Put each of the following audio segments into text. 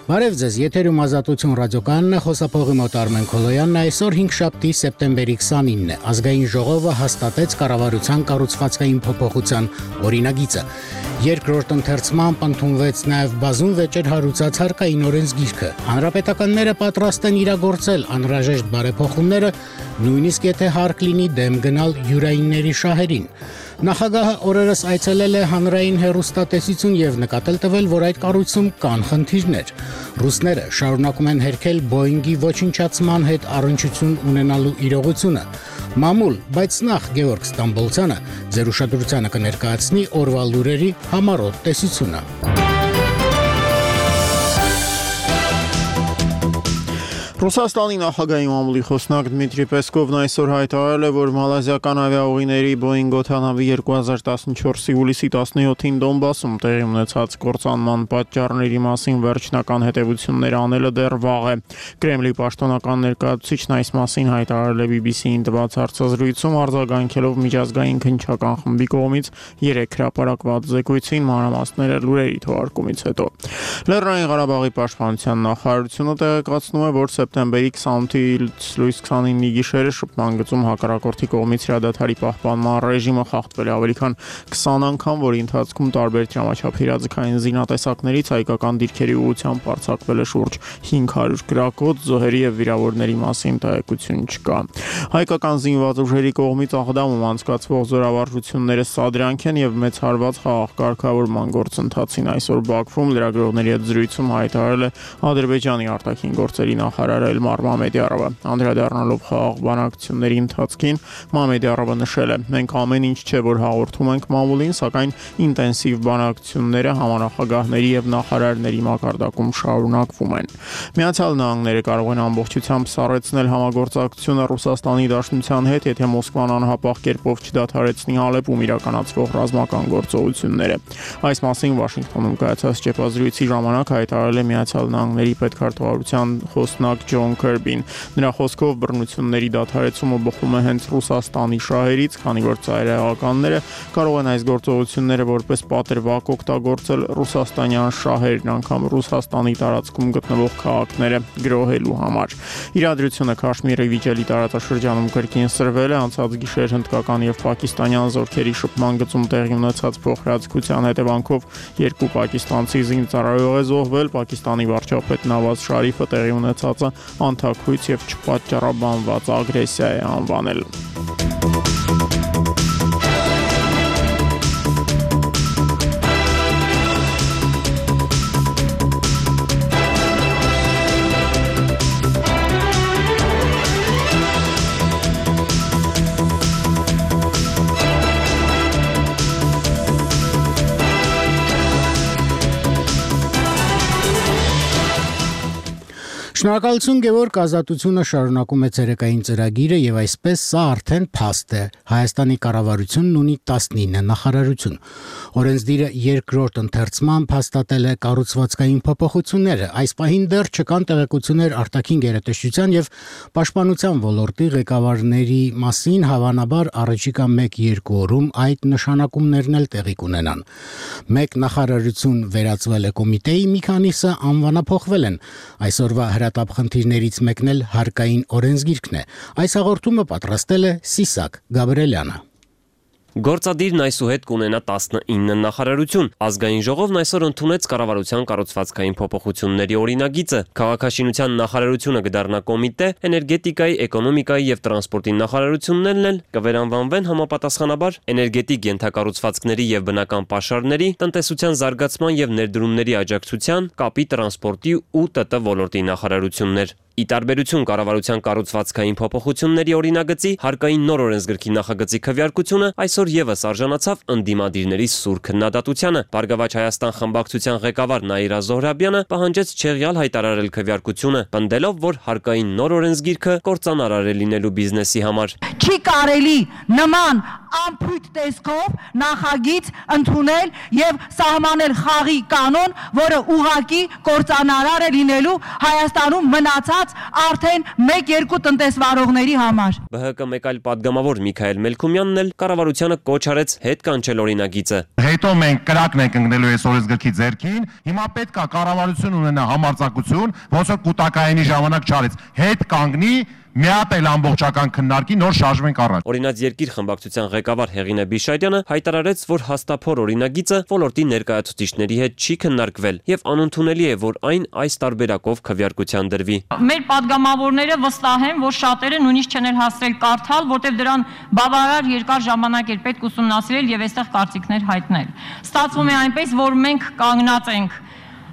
Բարև ձեզ, եթերում Ազատություն ռադիոկայանն է, խոսափողի մոտ Արմեն Քոլոյանն է, այսօր 5-շաբթի սեպտեմբերի 29-ն է, ազգային ժողովը հաստատեց կառավարության կառուցվածքային փոփոխության օրինագիծը։ Երկրորդ ընթերցմամբ ընդունվեց նաև բազում վեճեր հարուցած հարկային օրենսգիրքը։ Հանրապետականները պատրաստ են իրագործել անհրաժեշտ բարեփոխումները, նույնիսկ եթե հարկ լինի դեմ գնալ յուրայինների շահերին։ Նախագահը օրերս այցելել է հանրային հեռուստատեսություն եւ նկատել տվել, որ այդ կառույցում կան խնդիրներ։ Ռուսները շարունակում են հերքել Boeing-ի ոչնչացման հետ առնչություն ունենալու իրողությունը։ Մամուլ, բայց նախ Գևորգ Ստամբոլցյանը ձեր ուշադրությանը կներկայացնի օրվա լուրերի համառոտ տեսությունը։ Ռուսաստանի նախագահի մամուլի խոսնակ Դմիտրի Պեսկովն այսօր հայտարարել է, որ մալազիական ավիաուղիների Boeing օդանավի 2014-ի հուլիսի 17-ին Դոնբասում տեղի ունեցած կործանման պատճառների մասին վերջնական հետևություններ անելը դեռ վաղ է։ Կրեմլի պաշտոնական ներկայացուցիչն այս մասին հայտարարել է BBC-ին տված հարցազրույցում, արձագանքելով միջազգային քննչական խմբի կողմից 3 հրապարակված զեկույցին, մանրամասները լուրերի թողարկումից հետո։ Լեռնային Ղարաբաղի պաշտպանության նախարարությունը տեղեկացնում է, որ սեպտեմբերի 28-ից լույս 29-ի գիշերը շփման գծում հակառակորդի կողմից հրադադարի պահպանման ռեժիմը խախտվել է ավելի քան 20 անգամ, որի ընթացքում տարբեր դրամաչափ իրազեկային զինատեսակներից հայկական դիրքերի ուղղությամբ արձակվել է շուրջ 500 գրակոց, զոհերի եւ վիրավորների մասին տեղեկություն չկա։ Հայկական զինված ուժերի կողմից Աղդամում անցկացվող զորավարժությունները սադրանք են եւ մեծ հարված խաղաղ կարգավորման գործընթացին այսօր Բաքվում լրագրողների հետ զրույցում հայտարարել է Ադրբեջանի արտաքին գործերի նախարար Էլմար Մամեդյարովը։ Անդրադառնալով խաղաղ բանակցությունների ընթացքին Մամեդյարովը նշել է. «Մենք ամեն ինչ չէ, որ հաղորդում ենք մամուլին, սակայն ինտենսիվ բանակցությունները համանախագահների եւ նախարարների մակարդակում շարունակվում են»։ Միացյալ Նահանգները կարող են ամբողջությամբ սառեցնել համագործակցությունը Ռուսաստանի Դաշնության հետ, եթե Մոսկվան անհապաղ կերպով չդադարեցնի Ալեպում իրականացվող ռազմական գործողությունները։ Այս մասին Վաշինգտոնում կայացած ճեպազրույցի ժամանակ հայտարարել է Միացյալ Նահանգների պետքարտուղարության խոսնակ Ջոն Քերբին։ Նրա խոսքով բռնությունների դադարեցումը բխում է հենց Ռուսաստանի շահերից, քանի որ ծայրահեղականները կարող են այս գործողությունները որպես պատրվակ օգտագործել ռուսաստանյան շահերն անգամ Ռուսաստանի տարածքում գտնվող քաղաքները գրոհելու համար։ Իրադրությունը Քաշմիրի վիճելի տարածաշրջանում կրկին սրվել է անցած գիշեր հնդկական եւ պակիստանյան զորքերի շփման գծում տեղի ունեցած փոխհրաձգության հետևանքով 2 պակիստանցի զինծառայող է զոհվել, Պակիստանի վարչապետ Նավազ Շարիֆը տեղի ունեցածը անթաքույց եւ չպատճառաբանված ագրեսիա է անվանել։ Շնորհակալություն Գևորգ, Ազատությունը շարունակում է ցերեկային ծրագիրը եւ այսպես սա արդեն փաստ է։ Հայաստանի կառավարությունն ունի 19 նախարարություն։ Օրենսդիրը երկրորդ ընթերցմամբ հաստատել է կառուցվածքային փոփոխությունները։ Այս պահին դեռ չկան տեղեկություններ արտաքին գերատեսչության եւ պաշտպանության ոլորտի ղեկավարների մասին, հավանաբար առաջիկա 1-2 օրում այդ նշանակումներն էլ տեղի կունենան։ Մեկ նախարարություն վերածվել է կոմիտեի, մի քանիսը անվանափոխվել են։ Այսօրվա հրատապ խնդիրներից մեկն էլ հարկային օրենսգիրքն է։ Այս հաղորդումը պատրաստել է Սիսակ Գաբրելյանը։ Գործադիրն այսուհետ կունենա 19 նախարարություն։ Ազգային ժողովն այսօր ընդունեց կառավարության կառուցվածքային փոփոխությունների օրինագիծը։ Քաղաքաշինության նախարարությունը կդառնա կոմիտե, էներգետիկայի, էկոնոմիկայի եւ տրանսպորտի նախարարություններն էլ կվերանվանվեն համապատասխանաբար էներգետիկ ենթակառուցվածքների եւ բնական պաշարների, տնտեսության զարգացման եւ ներդրումների աջակցության, կապի, տրանսպորտի ու ՏՏ ոլորտի նախարարություններ։ Ի տարբերություն կառավարության կառուցվածքային փոփոխությունների օրինագծի, հարկային նոր օրենսգրքի նախագծի քվեարկությունը այսօր եւս արժանացավ ընդդիմադիրների սուր քննադատությանը։ Բարգավաճ Հայաստան խմբակցության ղեկավար Նաիրա Զոհրաբյանը պահանջեց չեղյալ հայտարարել քվեարկությունը, պնդելով, որ հարկային նոր օրենսգիրքը կործանարար է լինելու բիզնեսի համար։ Չի կարելի նման ամփույթ տեսքով նախագիծ ընդունել եւ սահմանել խաղի կանոն, որը ուղղակի կործանարար է լինելու Հայաստանում մնացած արդեն 1-2 տնտեսվարողների համար։ ԲՀԿ մեկ այլ падգամավոր Միքայել Մելքումյանն էլ կառավարությանը կոչ արեց հետ կանչել օրինագիծը։ Հետո մենք կրակն ենք ընկնելու այս օրենսգրքի ձեռքին, հիմա պետք է կառավարություն ունենա համարձակություն, ոնց որ կൂട്ടակայինի ժամանակ չարեց, հետ կանգնի մի հատ էլ ամբողջական քննարկի, նոր շարժվենք առաջ։ Օրինաց երկիր խմբակցության ղեկավար Հեղինե Բիշարյանը հայտարարեց, որ հաստափոր օրինագիծը ոլորտի ներկայացուցիչների հետ չի քննարկվել եւ անընդունելի է, որ այն այս տարբերակով քվեարկության դրվի։ Մեր падգամավորները վստահ են, որ շատերը նույնիսկ չեն հասցրել կարդալ, որտեղ դրան բավարար երկար ժամանակ էր պետք ուսումնասիրել եւ այստեղ կարծիքներ հայտնել։ Ստացվում է այնպես, որ մենք կանգնած ենք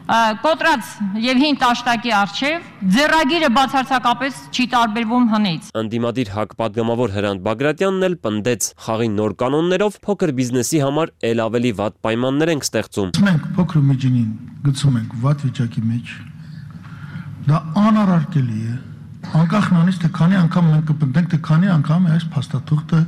կոտրած եւ հին տաշտակի առջև, ձեռագիրը բացարձակապես չի տարբերվում հնից։ Անդիմադիր ՀԱԿ падգամավոր Հրանտ Բագրատյանն էլ պնդեց, խաղի նոր կանոններով փոքր բիզնեսի համար ել ավելի վատ պայմաններ ենք ստեղծում։ Մենք փոքր ու միջինին գցում ենք վատ վիճակի մեջ։ Դա անարարկելի է։ Անկախ նրանից թե քանի անգամ մենք կպնդենք, թե քանի անգամ է այս փաստաթուղթը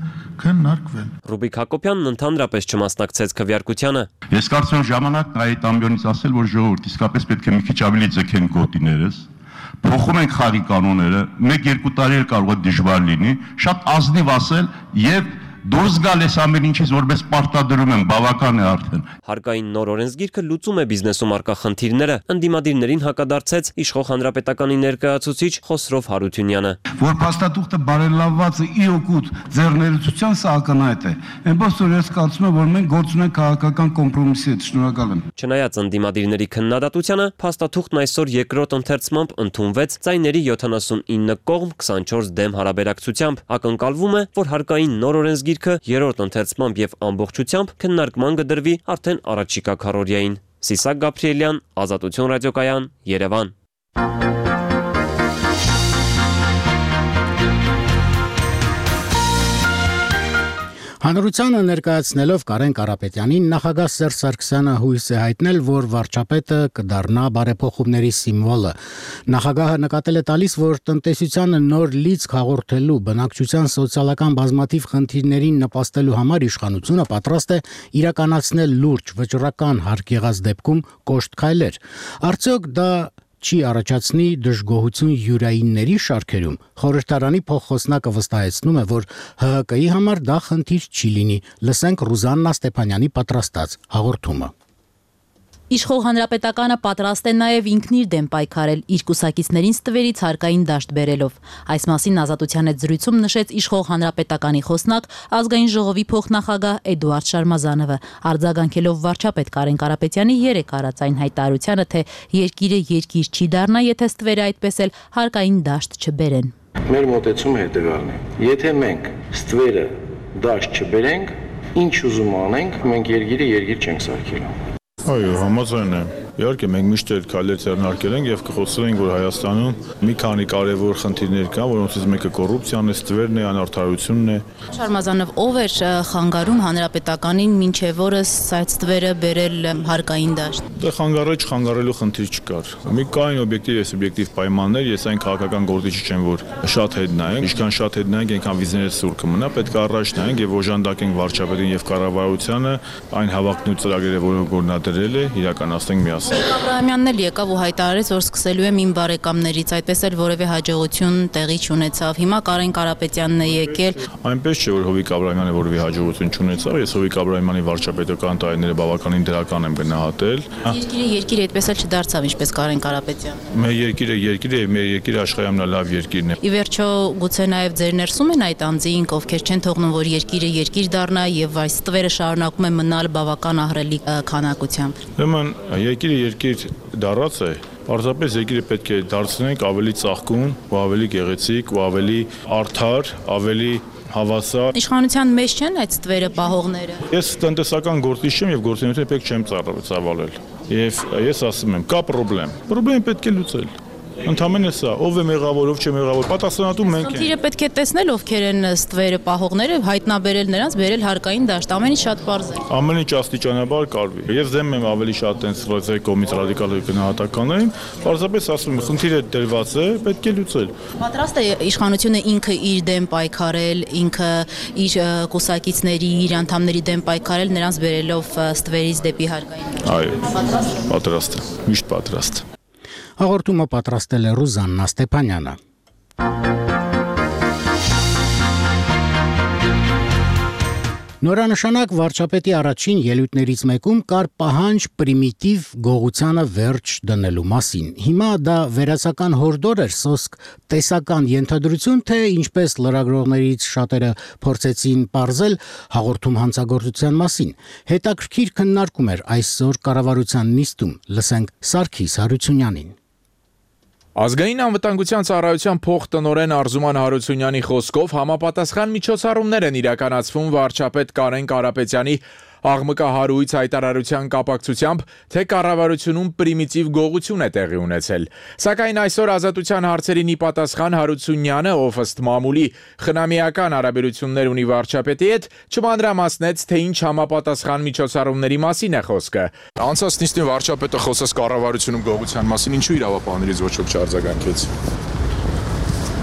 քննարկվել։ Ռուբիկ Հակոբյանն ընդհանրապես չմասնակցեց քվեարկությանը։ Ես կարծում եմ ժամանակն այդ ամբիոնից ասել, որ ժողովուրդ իսկապես պետք է մի քիչ ավելի ձգեն գոտիներս, փոխում ենք խաղի կանոնները, 1-2 տարի էլ կարող է դժվար լինի, շատ ազնիվ ասել եւ դուրս գալ ես ամեն ինչից, որպես պարտադրում եմ, բավական է արդեն։ Հարկային նոր օրենսգիրքը լուծում է բիզնեսում առկա խնդիրները, ընդդիմադիրներին հակադարձեց իշխող հանրապետականի ներկայացուցիչ Խոսրով Հարությունյանը։ Որ փաստաթուղթը բարելավվածը ի օգուտ ձեռներեցության սա ակնհայտ է։ Այնպես որ ես կարծում եմ, որ մենք գործ ունենք քաղաքական կոմպրոմիսի հետ, շնորհակալ եմ։ Չնայած ընդդիմադիրների քննադատությանը, փաստաթուղթն այսօր երկրորդ ընթերցմամբ ընդունվեց ձայների 79 կողմ 24 դեմ հարաբերակցությամբ։ Ակնկալվում է, որ հարկային նոր օրենսգիրքը երրորդ ընթերցմամբ եւ ամբողջությամբ քննարկման կդրվի արդեն առաջիկա քառօրյային։ Սիսակ Գաբրիելյան, Ազատություն ռադիոկայան, Երևան։ Հանրությանը ներկայացնելով Կարեն Կարապետյանին նախագահ Սերժ Սարգսյանը հույս է հայտնել, որ վարչապետը կդառնա բարեփոխումների սիմվոլը։ Նախագահը նկատել է տալիս, որ տնտեսությանը նոր լիցք հաղորդելու, բնակչության սոցիալական բազմաթիվ խնդիրներին նպաստելու համար իշխանությունը պատրաստ է իրականացնել լուրջ վճռական հարկ եղած դեպքում կոշտ քայլեր։ Արդյոք դա չի առաջացնի դժգոհություն յուրայինների շարքերում։ Խորհրդարանի փոխխոսնակը վստահեցնում է, որ ՀՀԿ-ի համար դա խնդիր չի լինի։ Լսենք Ռուզաննա Ստեփանյանի պատրաստած հաղորդումը։ Իշխող հանրապետականը պատրաստ է նաև ինքն իր դեմ պայքարել, իր կուսակիցներին ստվերից հարկային դաշտ բերելով։ Այս մասին Ազատության հետ զրույցում նշեց իշխող հանրապետականի խոսնակ ազգային ժողովի փոխնախագահ Էդուարդ Շարմազանովը, արձագանքելով վարչապետ Կարեն Կարապետյանի երեկ արած այն հայտարարությանը, թե երկիրը երկիր չի դառնա, եթե ստվերը այդպես էլ հարկային դաշտ չբերեն։ Մեր մոտեցումը հետևյալն է. եթե մենք ստվերը դաշտ չբերենք, ինչ ուզում անենք, մենք երկիրը երկիր չենք սարքելու։ Այո, համաձայն եմ։ Իհարկե մենք միշտ էլ քայլեր ձեռնարկել ենք եւ կխոսենք, որ Հայաստանում մի քանի կարևոր խնդիրներ կան, որոնցից մեկը կոռուպցիան է, ստվերն է, անարդարությունն է։ Շարմազանով, ով էր խանգարում հանրապետականին մինչև օրս այդ ստվերը բերել հարկային դաշտ։ Դե խանգարելու խնդիր չկար։ Մի կային օբյեկտիվ եւ սուբյեկտիվ պայմաններ, ես այն քաղաքական գործիչ չեմ, որ շատ հետ նայենք, ինչքան շատ հետ նայենք, այնքան վիզներից սուր կմնա, պետք է առաջ նայենք եւ օժանդակենք վարչապետին եւ կառավարությանը այն հավակնոտ ծրագրերը, որոնք որ նա դրել է, իրականացնենք միասին։ Աբրահամյանն էլ եկավ ու հայտարարեց, որ սկսելու եմ իմ բարեկամներից, այդպես էլ որևէ հաջողություն տեղի չունեցավ։ Հիմա Կարեն Կարապետյանն է եկել։ Այնպես չէ, որ Հովիկ Աբրահամյանը որևէ հաջողություն չունեցավ, ես Հովիկ Աբրահամյանի վարչապետական տարիները բավականին դրական եմ գնահատել։ Երկիրը այդպես էլ չդարձավ, ինչպես Կարեն Կարապետյանը։ Մեր երկիրը երկիր է, մեր երկիրը աշխարհի ամենալավ երկիրն է։ Ի վերջո, գուցե նաև ձեր ներսում են այդ անձինք, ովքեր չեն թողնում, որ երկիրը երկիր դառնա եւ այս ստվերը շարունակում է մնալ բավական ահռելի քանակությամբ։ Ուրեմն երկիրը երկիր դառած է, պարզապես երկիրը պետք է դարձնենք ավելի ծաղկուն, ու ավելի գեղեցիկ, ու ավելի արդար, ավելի հավասար։ Իշխանության մեջ չեն այդ ստվերը պահողները։ Ես տնտեսական գործիչ եմ եւ գործունեությունը պետք չեմ ծավալել։ Եվ ես ասում եմ, կա պրոբլեմ։ Պրոբլեմը պետք է լուծել։ Ընդամենը սա, ով է մեղավոր, ով չէ մեղավոր, պատասխանատու մենք ենք։ Խնդիրը պետք է տեսնել ովքեր են ստվերը պահողները, հայտնաբերել նրանց, բերել հարկային դաշտ, ամեն ինչ շատ պարզ է։ Ամեն ինչ աստիճանաբար կարվի։ Ես դեմ եմ ավելի շատ այս ռոզայի կողմից ռադիկալ գնահատականներին, պարզապես ասում եմ, խնդիրը դրված է, պետք է լուծել։ Պատրաստ է իշխանությունը ինքը իր դեմ պայքարել, ինքը իր կուսակիցների, իր անդամների դեմ պայքարել, նրանց բերելով ստվերից դեպի հարկային։ Այո, պատրաստ է, միշտ պատրաստ։ Հաղորդումը պատրաստել է Ռուզաննա Ստեփանյանը։ Նորանշանակ վարչապետի առաջին ելույթներից մեկում կար պահանջ պրիմիտիվ գողությանը վերջ դնելու մասին։ Հիմա դա վերացական հորդոր էր, սոսկ տեսական ենթադրություն, թե ինչպես լրագրողներից շատերը փորձեցին պարզել հաղորդում հանցագործության մասին։ Հետաքրքիր քննարկում էր այսօր կառավարության նիստում, լսենք Սարգիս Հարությունյանին։ Ազգային անվտանգության ծառայության փոխտնօրեն Արզուման Հարությունյանի խոսքով համապատասխան միջոցառումներ են իրականացվում վարչապետ Կարեն Կարապետյանի աղմկահարույց հայտարարության կապակցությամբ, թե կառավարությունում պրիմիտիվ գողություն է տեղի ունեցել։ Սակայն այսօր Ազատության հարցերին ի պատասխան Հարությունյանը, ով ըստ մամուլի խնամիական հարաբերություններ ունի վարչապետի հետ, չմանրամասնեց, թե ինչ համապատասխան միջոցառումների մասին է խոսքը։ Անցած նիստին վարչապետը խոսեց կառավարությունում գողության մասին, ինչու իրավապահներից ոչ ոք չարձագանքեց։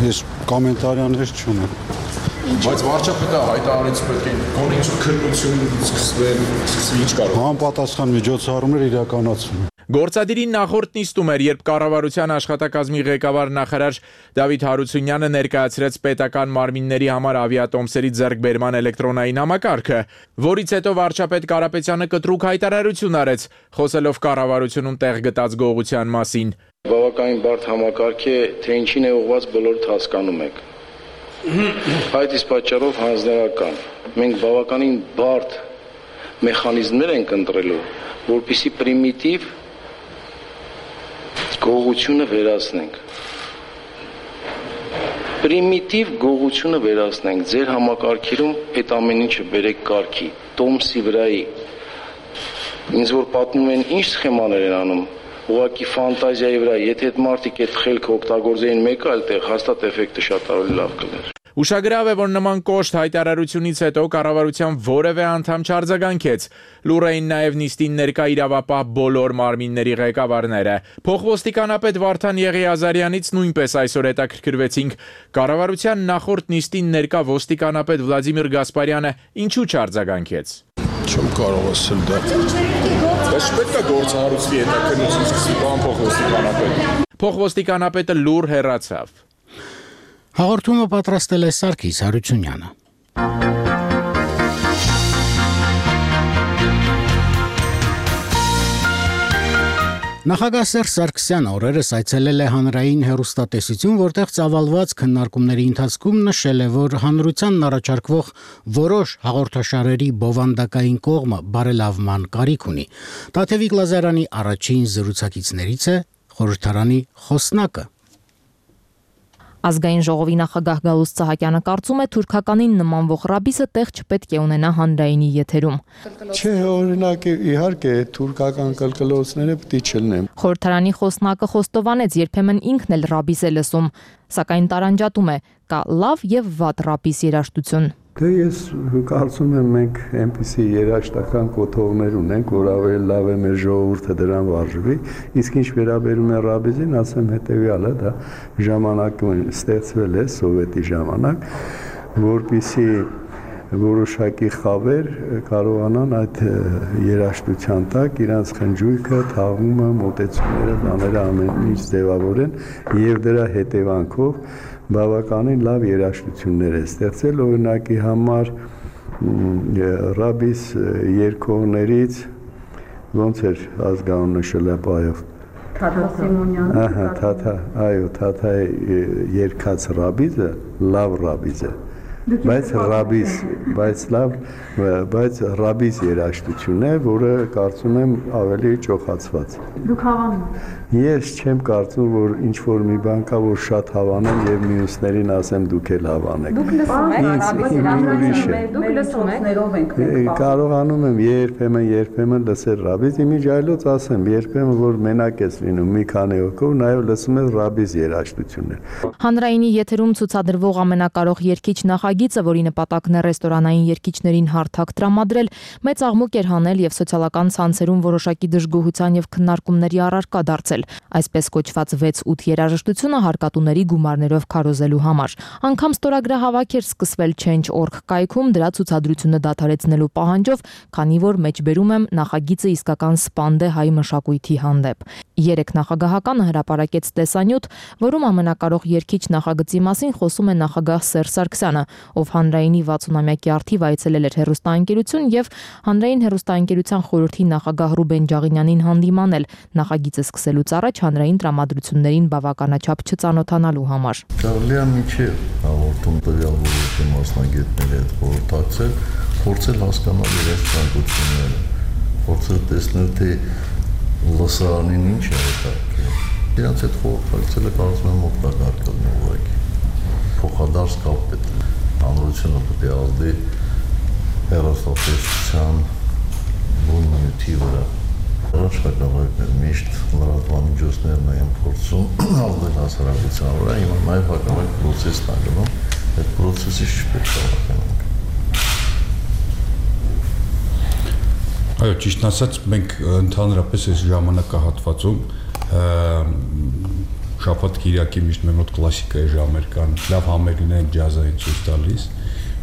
Ես կոմենտարներ չունեմ։ Բայց վարչապետը հայտարարեց պետք է գոնե քննություն սկսվի, ինչ կարող։ Համապատասխան միջոցառումներ իրականացվում։ Գործադիրի նախորդ նիստում էր, երբ կառավարության աշխատակազմի ղեկավար նախարար Դավիթ Հարությունյանը ներկայացրեց պետական մարմինների համար ավիատոմսերի ձեռքբերման էլեկտրոնային համակարգը, որից հետո վարչապետ Կարապետյանը կտրուկ հայտարարություն արեց, խոսելով կառավարությունում տեղ գտած գողության մասին։ Բավականին բարդ համակարգ է, թե ինչին է ուղղված բոլորդ հասկանում եք։ Այդ իսկ պատճառով հանձնարարական։ Մենք բավականին բարդ մեխանիզմներ ենք ընտրելու, որպեսզի պրիմիտիվ գողությունը վերացնենք։ Պրիմիտիվ գողությունը վերացնենք, ձեր համակարգերում այդ ամեն ինչը բերեք կարգի, տոմսի վրայի։ Ինձ որ պատմում են ինչ սխեմաներ են անում, ուղղակի ֆանտազիայի վրա, եթե այդ մարդիկ այդ խելքը օգտագործեին մեկ այլ տեղ, հաստատ էֆեկտը շատ ավելի լավ կլներ։ Ուշագրավ է, որ նման կոշտ հայտարարությունից հետո կառավարության որևէ անդամ չարձագանքեց։ Լուր էին նաև նիստին ներկա իրավապահ բոլոր մարմինների ղեկավարները։ Փոխոստիկանապետ Վարդան Եղիազարյանից նույնպես այսօր հետաքրքրվեցինք։ Կառավարության նախորդ նիստին ներկա ոստիկանապետ Վլադիմիր Գասպարյանը ինչու չարձագանքեց։ Չեմ կարող ասել դա։ Բայց պետք է գործառույթի հետաքննություն սկսի, բան փոխոստիկանապետ։ Փոխոստիկանապետը լուր հեռացավ։ Հաղորդումը պատրաստել է Սարգիս Հարությունյանը։ Նախագահ Սերժ Սարգսյանը օրերս այցելել է հանրային հեռուստատեսություն, որտեղ ծավալված քննարկումների ընթացքում նշել է, որ հանրությանն առաջարկվող որոշ հաղորդաշարերի բովանդակային կողմը բարելավման կարիք ունի։ Տաթևիկ Լազարյանի առաջին զրուցակիցներից է խորհրդարանի խոսնակը։ Ազգային ժողովի նախագահ Գալուստ Սահակյանը կարծում է թուրքականին նմանվող ռաբիսը տեղ չպետք է ունենա հանրայինի եթերում։ Չէ, օրինակ իհարկե թուրքական կլկլոցները պետք է չլինեն։ Խորհրդարանի խոսնակը խոստովանեց, երբեմն ինքն էլ ռաբիս է լսում, սակայն տարանջատում է, կա լավ եւ վատ ռաբիս երաժշտություն։ Դե ես կարծում եմ մենք այնպիսի երաժշտական կոթողներ ունենք, որ ավելի լավ է մեր ժողովուրդը դրան վարժվի, իսկ ինչ վերաբերում է ռաբիզին, ասեմ հետեւյալը, դա ժամանակում ստեղծվել է սովետի ժամանակ, որպեսզի որոշակի խավեր կարողանան այդ երաժշտության տակ իրանց խնջույքը, թաղումը, մոտեցումները, բաները ամեն ինչ ձևավորեն եւ դրա հետևանքով բավականին լավ երաժշտություններ է ստեղծել, օրինակի համար ռաբիս երկողներից ոնց էր ազգանունը Շլապայով Թաթա Սիմոնյանը, այո, Թաթա երկած ռաբիզը լավ ռաբիզ է, բայց ռաբիս երաժշտությունն է, որը կարծում եմ ավելի ճոխացված։ Դուք հավանում եք։ Ես չեմ կարծում, որ ինչ որ մի բան կա, որ շատ հավանեմ եւ մյուսներին ասեմ դուք էլ հավանեք։ Դուք լսում եք, դուք լսում եք։ Կարողանում եմ երբեմն լսել ռաբիս, իմիջայլոց ասեմ, երբեմն որ մենակ ես լինում մի քանի հոգով, նաեւ լսում ես ռաբիս երաժշտություններ։ Հանրայինի եթերում ցուցադրվող ամենակարող երգիչ նախագիծը, որի նպատակն է ռեստորանային երգիչներին հարթակ տրամադրել, մեծ աղմուկ էր հանել եւ սոցիալական ցանցերում որոշակի դժգոհության եւ քննարկումների առարկա դարձել, այսպես կոչված 6-8 երաժշտությունը հարկատուների գումարներով քարոզելու համար։ Անգամ ստորագրահավաք էր սկսվել Change.org կայքում դրա ցուցադրությունը դադարեցնելու պահանջով, քանի որ մեջբերում եմ նախագիծը իսկական սպանդ է հայ մշակույթի հանդեպ։ 3 նախագահականը հրապարակեց տեսանյութ, որում ամենակարող երգիչ նախագծի մասին խոսում է նախագահ Սերժ Սարգսյանը, ով հանրայինի 60-ամյակի արդիվ այցելել էր հեռուստաընկերություն եւ հանրային հեռուստաընկերության խորհրդի նախագահ Ռուբեն Ջաղինյանին հանդիմանել նախագիծը սկսելուց առաջ հանրային տրամադրություններին բավականաչափ չծանոթանալու համար։ Կարելի է միջև հաղորդում տվյալ ոլորտի մասնագետների հետ խորհրդակցել, փորձել հասկանալ իրենց ցանկությունները, փորձել տեսնել թե լսարանին ինչ է հետաքրքիր։ Իրանց հետ խորհրդակցելը կարծում եմ օգտակար կլինի ուղղակի։ Փոխադարձ կապ պետք է։ Հանրությունը պետք է ազդի հեռուստատեսության բուն նյութի վրա։ Հրաշքագավակներ միշտ լրատվամիջոցներն են փորձում ազդել հասարակության վրա, հիմա նաև հակառակ պրոցեսն է գնում, այդ պրոցեսից չպետք է վախենանք։ Այո, ճիշտ ասած, մենք ընդհանրապես այս ժամանակահատվածում շաբաթ-կիրակի միշտ մեր մոտ կլասիկայի ժամեր կան, լավ համերգներ ջազային ցույց տալիս,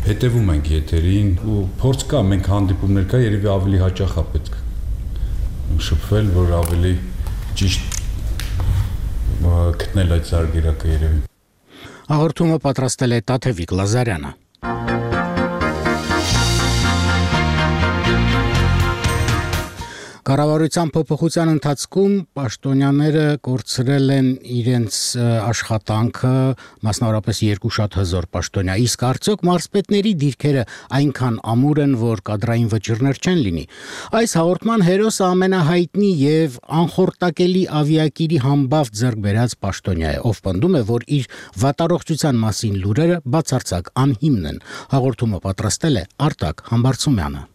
հետևում ենք եթերին ու փորձ կա, մենք հանդիպումներ կա, երևի ավելի հաճախ է պետք շփվել, որ ավելի ճիշտ գտնել այդ զարգերակը երևի։ Հաղորդումը պատրաստել է Տաթևիկ Լազարյանը։ Կառավարության փոփոխության ընթացքում պաշտոնյաները կորցրել են իրենց աշխատանքը, մասնավորապես 2 շատ հզոր պաշտոնյա, իսկ արդյոք մարզպետների դիրքերը այնքան ամուր են, որ կադրային վճիռներ չեն լինի։ Այս հաղորդման հերոսը ամենահայտնի եւ անխորտակելի ավիակիրի համբավ ձեռք բերած պաշտոնյա է, ով պնդում է, որ իր վատառողջության մասին լուրերը բացարձակ անհիմն են։ Հաղորդումը պատրաստել է Արտակ Համբարձումյանը։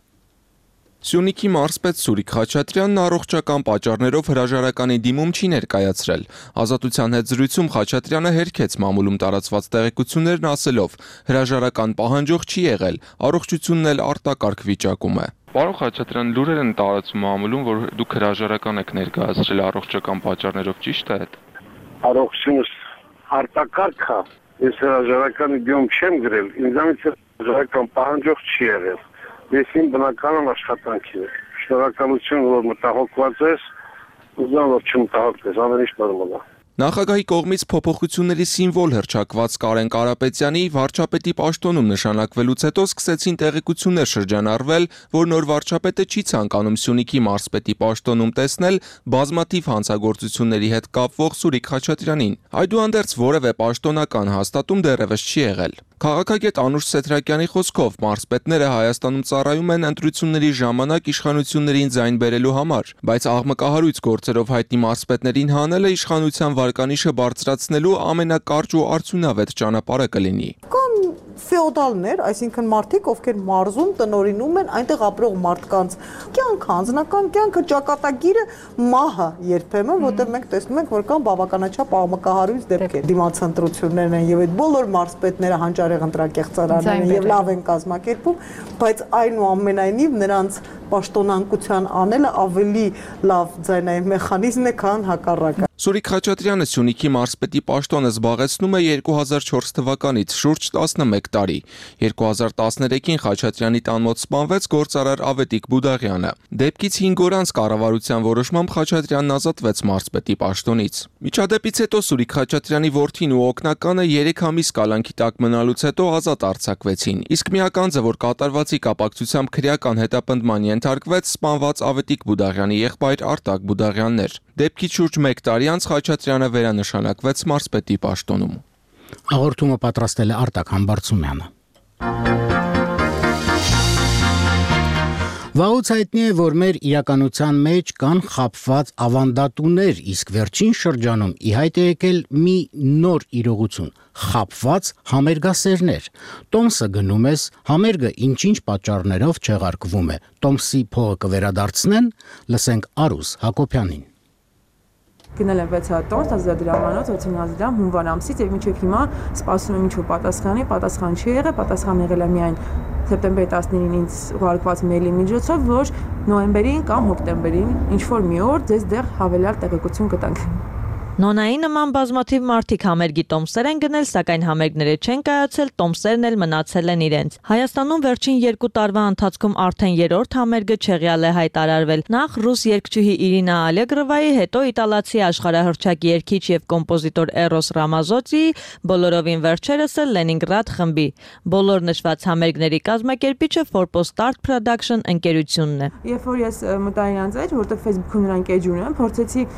Սյունիքի մարզպետ Սուրիկ Խաչատրյանն առողջական պատճառներով հրաժարականի դիմում չի ներկայացրել։ Ազատության հետ զրույցում Խաչատրյանը հերքեց մամուլում տարածված տեղեկություններն ասելով. հրաժարական պահանջող չի եղել, առողջությունն էլ արտակարգ վիճակում է։ Պարոն Խաչատրյան, լուրեր են տարածում մամուլում, որ դուք հրաժարական եք ներկայացրել առողջական պատճառներով, ճիշտ է այդ։ Առողջությունս արտակարգ է, ես հրաժարականի դիմում չեմ գրել, ինձանից հրաժարական պահանջող չի եղել։ Ես բնականon աշխատանքի է։ Շնորհակալություն, որ մտահոգված ես, ուզում որ չմտահոգես, ամեն ինչ նորմալ է։ Նախագահի կողմից փոփոխությունների սիմվոլ հռչակված Կարեն Կարապետյանի վարչապետի պաշտոնում նշանակվելուց հետո սկսեցին տեղեկություններ շրջանառվել, որ նոր վարչապետը չի ցանկանում Սյունիքի մարզպետի պաշտոնում տեսնել բազմաթիվ հանցագործությունների հետ կապվող Սուրիկ Խաչատրյանին։ Այդուհանդերձ որևէ պաշտոնական հաստատում դեռևս չի եղել։ Քաղաքագետ Անուշ Սեթրակյանի խոսքով մարզպետները Հայաստանում ծառայում են ընտրությունների ժամանակ իշխանություններին ձայն բերելու համար, բայց աղմկահարույց գործերով հայտնի մարզպետներին հանելը իշխանության վարկանիշը բարձրացնելու ամենակարճ ու արդյունավետ ճանապարհը կլինի։ Ֆեոդալներ, այսինքն մարդիկ, ովքեր մարզում տնօրինում են այնտեղ ապրող մարդկանց կյանքը, անձնական կյանքը, ճակատագիրը մահը երբեմն, որտեղ մենք տեսնում ենք, որ կան բավականաչափ աղմկահարույց դեպքեր։ Դիմացընտրություններն են եւ այդ բոլոր մարզպետները հանճարեղ ընտրակեղծարաններ են եւ լավ են կազմակերպում, բայց այնուամենայնիվ նրանց պաշտոնանկության անելը ավելի լավ ձայնային մեխանիզմ է, քան հակառակը։ Սուրիկ Խաչատրյանը Սյունիքի մարզպետի պաշտոնը զբաղեցնում է 2004 թվականից, շուրջ 11 տարի։ 2013-ին Խաչատրյանի տան մոտ սպանվեց գործարար Ավետիք Բուդաղյանը։ Դեպքից 5 օր անց կառավարության որոշմամբ Խաչատրյանն ազատվեց մարզպետի պաշտոնից։ Միջադեպից հետո Սուրիկ Խաչատրյանի որդին ու օգնականը 3 ամիս կալանքի տակ մնալուց հետո ազատ արձակվեցին։ Իսկ միականձը, որ կատարվածի կապակցությամբ քրեական հետապնդման ենթարկվեց, սպանված Ավետիք Բուդաղյանի եղբայր Արտակ Բուդաղյանն էր։ Դեպքից շուրջ 1 տարի անց Խաչատրյանը վերանշանակվեց մարզպետի պաշտոնում։ Հաղորդումը պատրաստել է Արտակ Համբարձումյանը։ Վաղուց հայտնի է, որ մեր իրականության մեջ կան խաբված ավանդատուներ, իսկ վերջին շրջանում ի հայտ է եկել մի նոր իրողություն՝ խաբված համերգասերներ։ Տոմսը գնում ես, համերգը ինչ-ինչ պատճառներով չեղարկվում է։ Տոմսի փողը կվերադարձնեն, լսենք Արուս Հակոբյանին։ Գնել եմ 6 հատ տոմս 1000 դրամանոց 5000 դրամ հունվար ամսից եւ մինչեւ հիմա սպասում եմ ինչ-որ պատասխան չի եղել, պատասխան եղել է միայն սեպտեմբերի 19-ին ինձ ուղարկված մեյլի միջոցով, որ նոյեմբերին կամ հոկտեմբերին ինչ-որ մի օր ձեզ դեռ հավելյալ տեղեկություն կտանք։ Նոնայի նման բազմաթիվ մարդիկ համերգի տոմսեր են գնել, սակայն համերգները չեն կայացել, տոմսերն էլ մնացել են իրենց։ Հայաստանում վերջին 2 տարվա ընթացքում արդեն 3-րդ համերգը չեղյալ է հայտարարվել։ Նախ ռուս երգչուհի Իրինա Ալեգրովայի, հետո իտալացի աշխարհահռչակ երգիչ եւ կոմպոզիտոր Էրոս Ռամազոցիի, բոլորովին վերջերս էլ Լենինգրադ խմբի։ Բոլոր նշված համերգների կազմակերպիչը Forpost Art Production ընկերությունն է։ Երբ որ ես մտա իրանց էջ, որտեղ Facebook-ում նրանք էջ ունեն, փորձեցի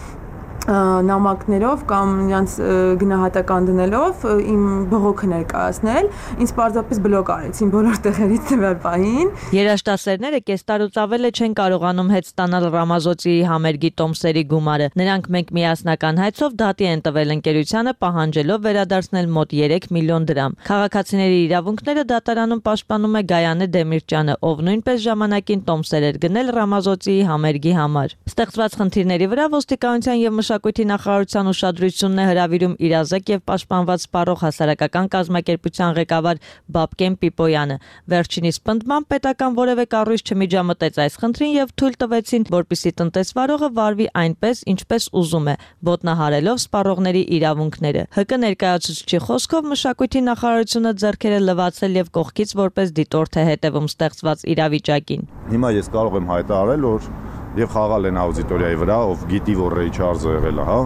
նամակներով կամ նրանց գնահատական դնելով իմ բողոքը ներկայացնել, ինձ պարզապես բլոկ արեցին բոլոր տեղերից տվյալ պահին։ Երաժշտասերները կես տարուց ավել չեն կարողանում հետ ստանալ Ռամազոցիի համերգի տոմսերի գումարը։ Նրանք մենք միասնական հայցով դատի են տվել ընկերությանը, պահանջելով վերադարձնել մոտ 3 միլիոն դրամ։ Քաղաքացիների իրավունքները դատարանում պաշտպանում է Գայանե Դեմիրճյանը, ով նույնպես ժամանակին տոմսեր էր գնել Ռամազոցիի համերգի համար։ Ստեղծված խնդիրների վրա ոստիկանության եւ Մշակույթի նախարարության ուշադրությունն է հրավիրում իրազեկ եւ պաշտպանված սպառող հասարակական կազմակերպության ղեկավար Բաբկեն Պիպոյանը։ Վերջինիս պնդմամբ պետական որևէ կառույց չմիջամտեց այս խնդրին եւ թույլ տվեցին, որպիսի տնտեսվարողը վարվի այնպես, ինչպես ուզում է, ոտնահարելով սպառողների իրավունքները։ ՀԿ ներկայացուցչի խոսքով Մշակույթի նախարարությունը ձեռքերը լվացել եւ կողքից որպես դիտորդ է հետևում ստեղծված իրավիճակին։ Հիմա ես կարող եմ հայտարարել, որ եւ խաղալ են աուդիտորիայի վրա, ով գիտի, որ Ռեյ Չարլզը եղել է, հա,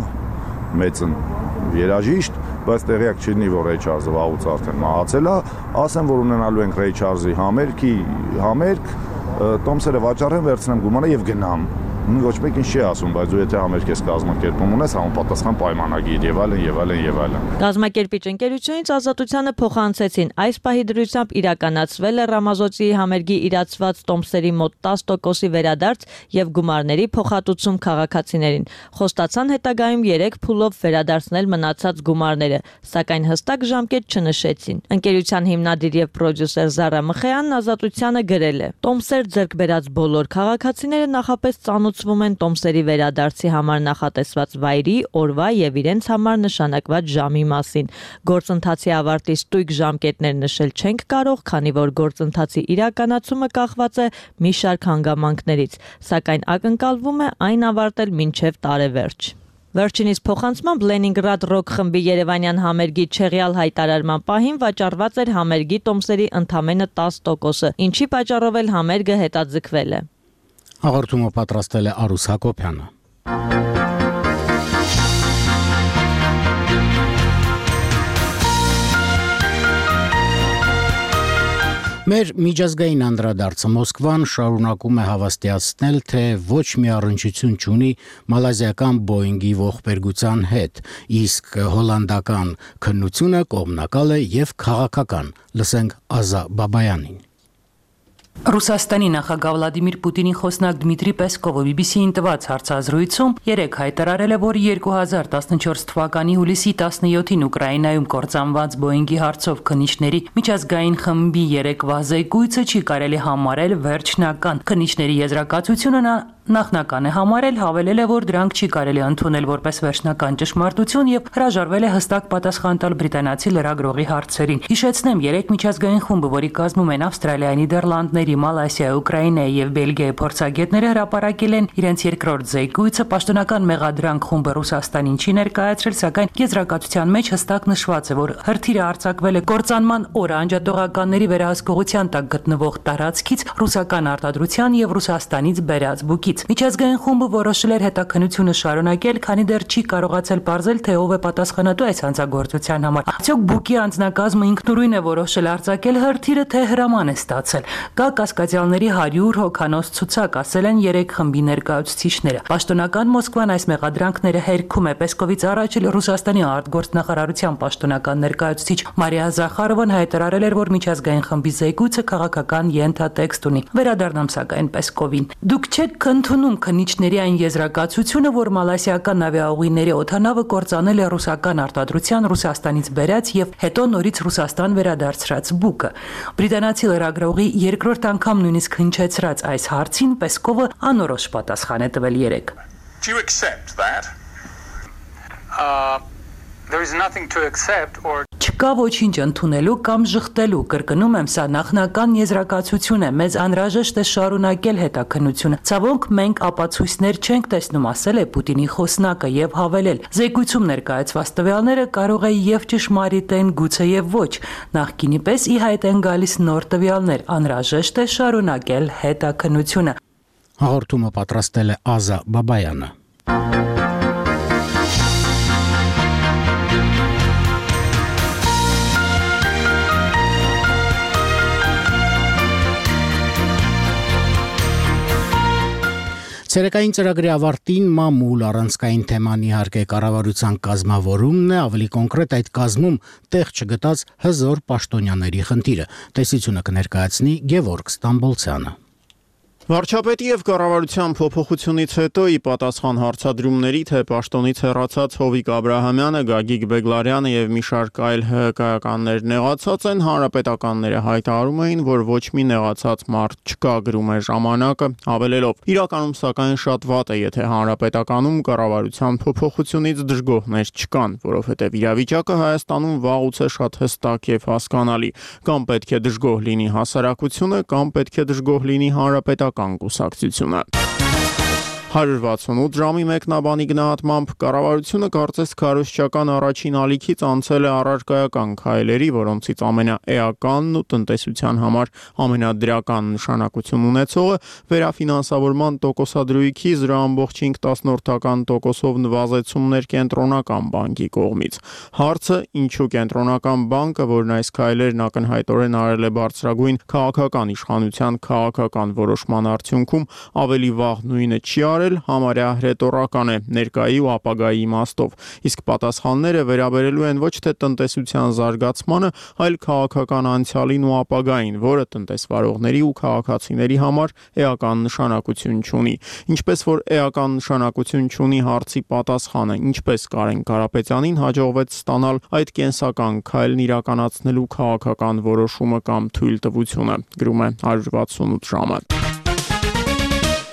մեծն երաժիշտ, բայց տեղյակ չլինի, որ Ռեյ Չարլզը վաղուց արդեն մահացել է, ասեմ, որ ունենալու ենք Ռեյ Չարլզի համերգ, տոմսերը վաճառեմ, վերցնեմ գումարը եւ գնամ։ Ոչ մեկ ինչ չի ասում, բայց դու եթե համերգ ես կազմակերպում ունես, համապատասխան պայմանագիր եւ այլն։ Կազմակերպիչ ընկերությունից Ազատությանը փոխանցեցին, այս պահի դրությամբ իրականացվել է Ռամազոցիի համերգի իրացված տոմսերի մոտ 10%-ի վերադարձ եւ գումարների փոխհատուցում քաղաքացիներին։ Խոստացան հետագայում 3 փուլով վերադարձնել մնացած գումարները, սակայն հստակ ժամկետ չնշեցին։ Ընկերության հիմնադիր եւ պրոդյուսեր Զարա Մխեյանն Ազատությանը գրել է. Տոմսեր ձեռք բերած բոլոր քաղաքացիները նախապես ծանոթվում են տոմսերի վերադարձի համար նախատեսված վայրի, օրվա եւ իրենց համար նշանակված ժամի մասին։ Գործընթացի ավարտի ստույգ ժամկետներ նշել չենք կարող, քանի որ գործընթացի իրականացումը կախված է մի շարք հանգամանքներից, սակայն ակնկալվում է այն ավարտել մինչև տարեվերջ։ Վերջինիս փոխանցմամբ Լենինգրադ ռոք խմբի երևանյան համերգի չեղյալ հայտարարման պահին վաճառված էր համերգի տոմսերի ընդամենը 10%-ը, ինչի պատճառով էլ համերգը հետաձգվել է։ Հաղորդումը պատրաստել է Արուս Հակոբյանը։ Մեր միջազգային անդրադարձը Մոսկվան շարունակում է հավաստիացնել, թե ոչ մի առնչություն չունի մալազիական Boeing-ի ողբերգության հետ, իսկ հոլանդական քննությունը կողմնակալ է եւ քաղաքական։ Լսենք Ազա Բաբայանին։ Ռուսաստանի նախագահ Վլադիմիր Պուտինի խոսնակ Դմիտրի Պեսկովը BBC-ին տված հարցազրույցում երեկ հայտարարել է, որ 2014 թվականի հուլիսի 17-ին Ուկրաինայում կործանված Boeing-ի հարցով քննիչների միջազգային խմբի երեկվա զեկույցը չի կարելի համարել վերջնական։ Քննիչների եզրակացությունը նախնական է համարել, հավելել է, որ դրանք չի կարելի ընդունել որպես վերջնական ճշմարտություն եւ հրաժարվել է հստակ պատասխան տալ բրիտանացի լրագրողի հարցերին։ Հիշեցնեմ, երեք միջազգային խումբը, որի կազմում են Ավստրալիայի, Նիդերլանդների, Մալայսիայի, Ուկրաինայի եւ Բելգիայի փորձագետները հրապարակել են իրենց երկրորդ զեկույցը։ Պաշտոնական մեղադրանք խումբը Ռուսաստանին չի ներկայացրել, սակայն եզրակացության մեջ հստակ նշված է, որ հրթիռը արձակվել է կործանման օրը անջատողականների վերահսկողության տակ գտնվող տարածքից, ռուսական արտադրության եւ Ռուսաստանից բերած բուկից։ կողմից։ Միջազգային խումբը որոշել էր հետաքննությունը շարունակել, քանի դեռ չի կարողացել պարզել, թե ով է պատասխանատու այս հանցագործության համար։ Արդյոք Բուկի անձնակազմը ինքնուրույն է որոշել արձակել հրթիռը, թե հրաման է ստացել։ Կա կասկածյալների 100 հոգանոց ցուցակ, ասել են 3 խմբի ներկայացուցիչները։ Պաշտոնական Մոսկվան այս մեղադրանքները հերքում է։ Պեսկովից առաջ Ռուսաստանի արտգործնախարարության պաշտոնական ներկայացուցիչ Մարիա Զախարովան հայտարարել էր, որ միջազգային խմբի զեկույցը քաղաքական ենթատեքստ ունի։ Վերադառնամ սակայն Պեսկովին։ Դուք չեք ընդունում քննիչների այն եզրակացությունը, որ մալայսիական ավիաուղիների օդանավը կործանել է ռուսական արտադրության Ռուսաստանից բերած եւ հետո նորից Ռուսաստան վերադարձրած Բուկը։ Բրիտանացի լրագրողի երկրորդ անգամ նույնիսկ հնչեցրած այս հարցին Պեսկովը անորոշ պատասխան է տվել 3։ Do you accept that? There is nothing to accept or Չկա ոչինչ ընդունելու կամ ժխտելու, կրկնում եմ, սա նախնական եզրակացություն է, մեզ անհրաժեշտ է շարունակել հետաքննությունը։ Ցավոք մենք ապացույցներ չենք տեսնում, ասել է Պուտինի խոսնակը եւ հավելել. Զեկույցում ներկայացված տվյալները կարող է եւ ճշմարիտ են, գուցե եւ ոչ։ Նախկինի պես ի հայտ են գալիս նոր տվյալներ, անհրաժեշտ է շարունակել հետաքննությունը։ Հաղորդումը պատրաստել է Ազա Բաբայանը։ Ցերեկային ծրագրի ավարտին մամուլ առանցքային թեման իհարկե կառավարության կազմավորումն է, ավելի կոնկրետ այդ կազմում տեղ չգտած հզոր պաշտոնյաների խնդիրը։ Տեսությունը կներկայացնի Գևորգ Ստամբոլցյանը։ Վարչապետի եւ կառավարության փոփոխությունից հետո ի պատասխան հարցադրումների, թե պաշտոնից հեռացած Հովիկ Աբրահամյանը, Գագիկ Բեգլարյանը եւ մի շարք այլ ՀԿ-ականներ նեղացած են, հանրապետականները հայտարարում էին, որ ոչ մի նեղացած մարդ չկա, գրում է ժամանակը, հավելելով. իրականում սակայն շատ վատ է, եթե հանրապետականում կառավարության փոփոխությունից դժգոհներ չկան, որովհետեւ իրավիճակը Հայաստանում վաղուց է շատ հստակ եւ հասկանալի, կամ պետք է դժգոհ լինի հասարակությունը, կամ պետք է դժգոհ լինի հանրապետական կուսակցությունը։ 168 ժամի մեկնաբանի գնահատմամբ կառավարությունը կարծես քարոզչական առաջին ալիքից անցել է առարկայական քայլերի, որոնցից ամենաէականն ու տնտեսության համար ամենադրական նշանակություն ունեցողը վերաֆինանսավորման տոկոսադրույքի 0.5%-ով նվազեցումներ կենտրոնական բանկի կողմից։ Հարցը՝ ինչու կենտրոնական բանկը, որն այս քայլերն ակնհայտորեն արել է բարձրագույն քաղաքական իշխանության քաղաքական որոշման արդյունքում, ավելի վաղ նույնը չի արել, համարյա հրետորական է ներկայի ու ապագայի իմաստով, իսկ պատասխանները վերաբերելու են ոչ թե տնտեսության զարգացմանը, այլ քաղաքական անցյալին ու ապագային, որը տնտեսվարողների ու քաղաքացիների համար էական նշանակություն չունի։ Ինչպես որ էական նշանակություն չունի հարցի պատասխանը, ինչպես Կարեն Կարապետյանին հաջողվեց ստանալ այդ կենսական քայլն իրականացնելու քաղաքական որոշումը կամ թույլտվությունը, գրում է 168 ժամը։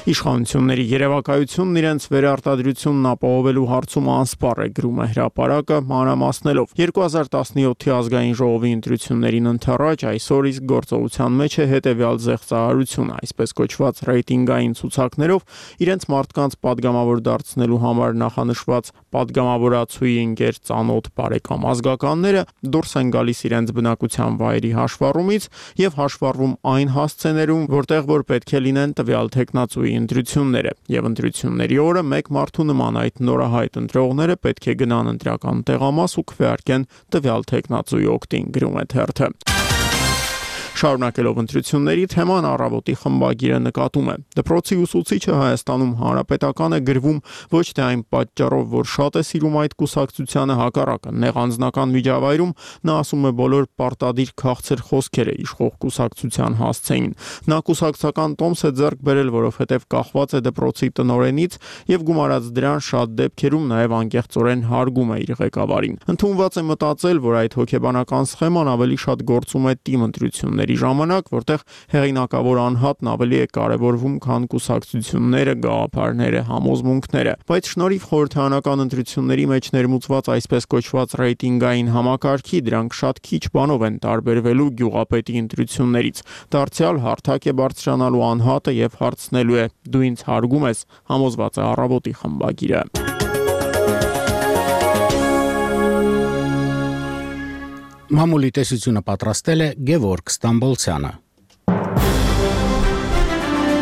Իշխանությունների երևակայությունն իրենց վերարտադրությունն ապահովելու հարցում անսպառ է, գրում է հրապարակը, մանրամասնելով 2017-ի ազգային ժողովի ընտրություններին ընթരാճ այսօր իսկ գործողության մեջ է հետևյալ զեղծարարությունը, այսպես կոչված ռեյտինգային ցուցակներով իրենց մարդկանց падգամավոր դարձնելու համար նախանշված падգամավորացուի ընկեր ծանոթ բարեկամ ազգականները դուրս են գալիս իրենց բնակության վայրի հաշվառումից եւ հաշվառվում այն հասցեներում, որտեղ որ պետք է լինեն տվյալ տեխնացուի ընտրությունները եւ ընտրությունների օրը մեկ մարդու նման այդ նորահայտ ընտրողները պետք է գնան ընտրական տեղամաս ու քվեարկեն տվյալ տեխնացուի օգտին, գրում է թերթը։ Շարունակելով ընտրությունների թեման առավոտի խմբագիրը նկատում է. դպրոցի ուսուցիչը Հայաստանում հանրապետական է գրվում ոչ թե այն պատճառով, որ շատ է սիրում այդ կուսակցությանը, հակառակը, նեղ անձնական միջավայրում նա ասում է բոլոր պարտադիր քաղցր խոսքերը իշխող կուսակցության հասցեին։ Նա կուսակցական տոմս է ձեռք բերել, որովհետև կախված է դպրոցի տնօրենից եւ գումարած դրան շատ դեպքերում նաեւ անկեղծորեն հարգում է իր ղեկավարին։ Ընդունված է մտածել, որ այդ հոգեբանական սխեման ավելի շատ գործում է թիմ ընտրությունների ժամանակ, որտեղ հեղինակավոր անհատն ավելի է կարևորվում, քան կուսակցությունները, գաղափարները, համոզմունքները։ Բայց շնորհիվ խորհրդարանական ընտրությունների մեջ ներմուծված այսպես կոչված ռեյտինգային համակարգի դրանք շատ քիչ բանով են տարբերվելու գյուղապետի ընտրություններից։ Դարձյալ հարթակ է բարձրանալու անհատը եւ հարցնելու է. դու ինձ հարգում ես, համոզված է առավոտի խմբագիրը։ Մամուլի տեսությունը պատրաստել է Գևորգ Ստամբոլցյանը։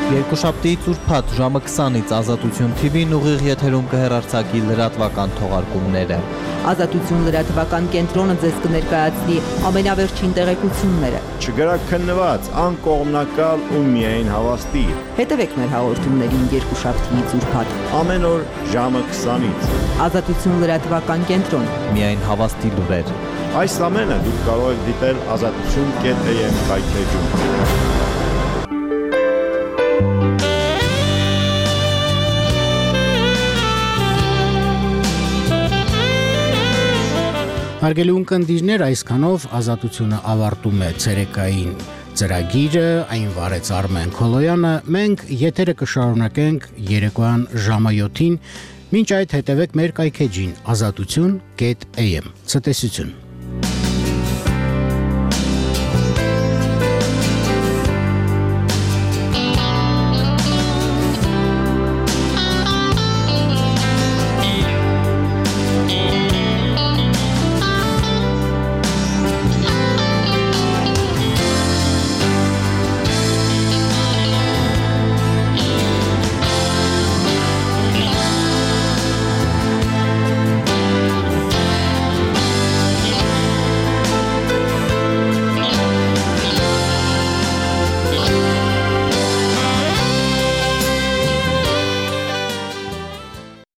Երկուշաբթի ծուրփաթ ժամը 20-ից Ազատություն TV-ն ուղիղ եթերում կհեռարձակի լրատվական թողարկումները։ Ազատություն լրատվական կենտրոնը ձեզ կներկայացնի ամենավերջին տեղեկությունները։ Չգրաքննված, անկողմնակալ ու միայն հավաստի։ Հետևեք մեր հաղորդումներին երկուշաբթի ծուրփաթ։ Ամեն օր ժամը 20-ից։ Ազատություն լրատվական կենտրոն։ Միայն հավաստի լուրեր։ Այս ամենը դուք կարող եք դիտել azatutun.am կայքեջում։ Հարգելի ունկնդիրներ, այսքանով Ազատությունը ավարտում է ցերեկային ծրագիրը, այն վարեց Արմեն Քոլոյանը, մենք եթերը կշարունակենք երեկոյան ժամը 7-ին, մինչ այդ հետևեք մեր կայքեջին azatutun.am։ Ցտեսություն։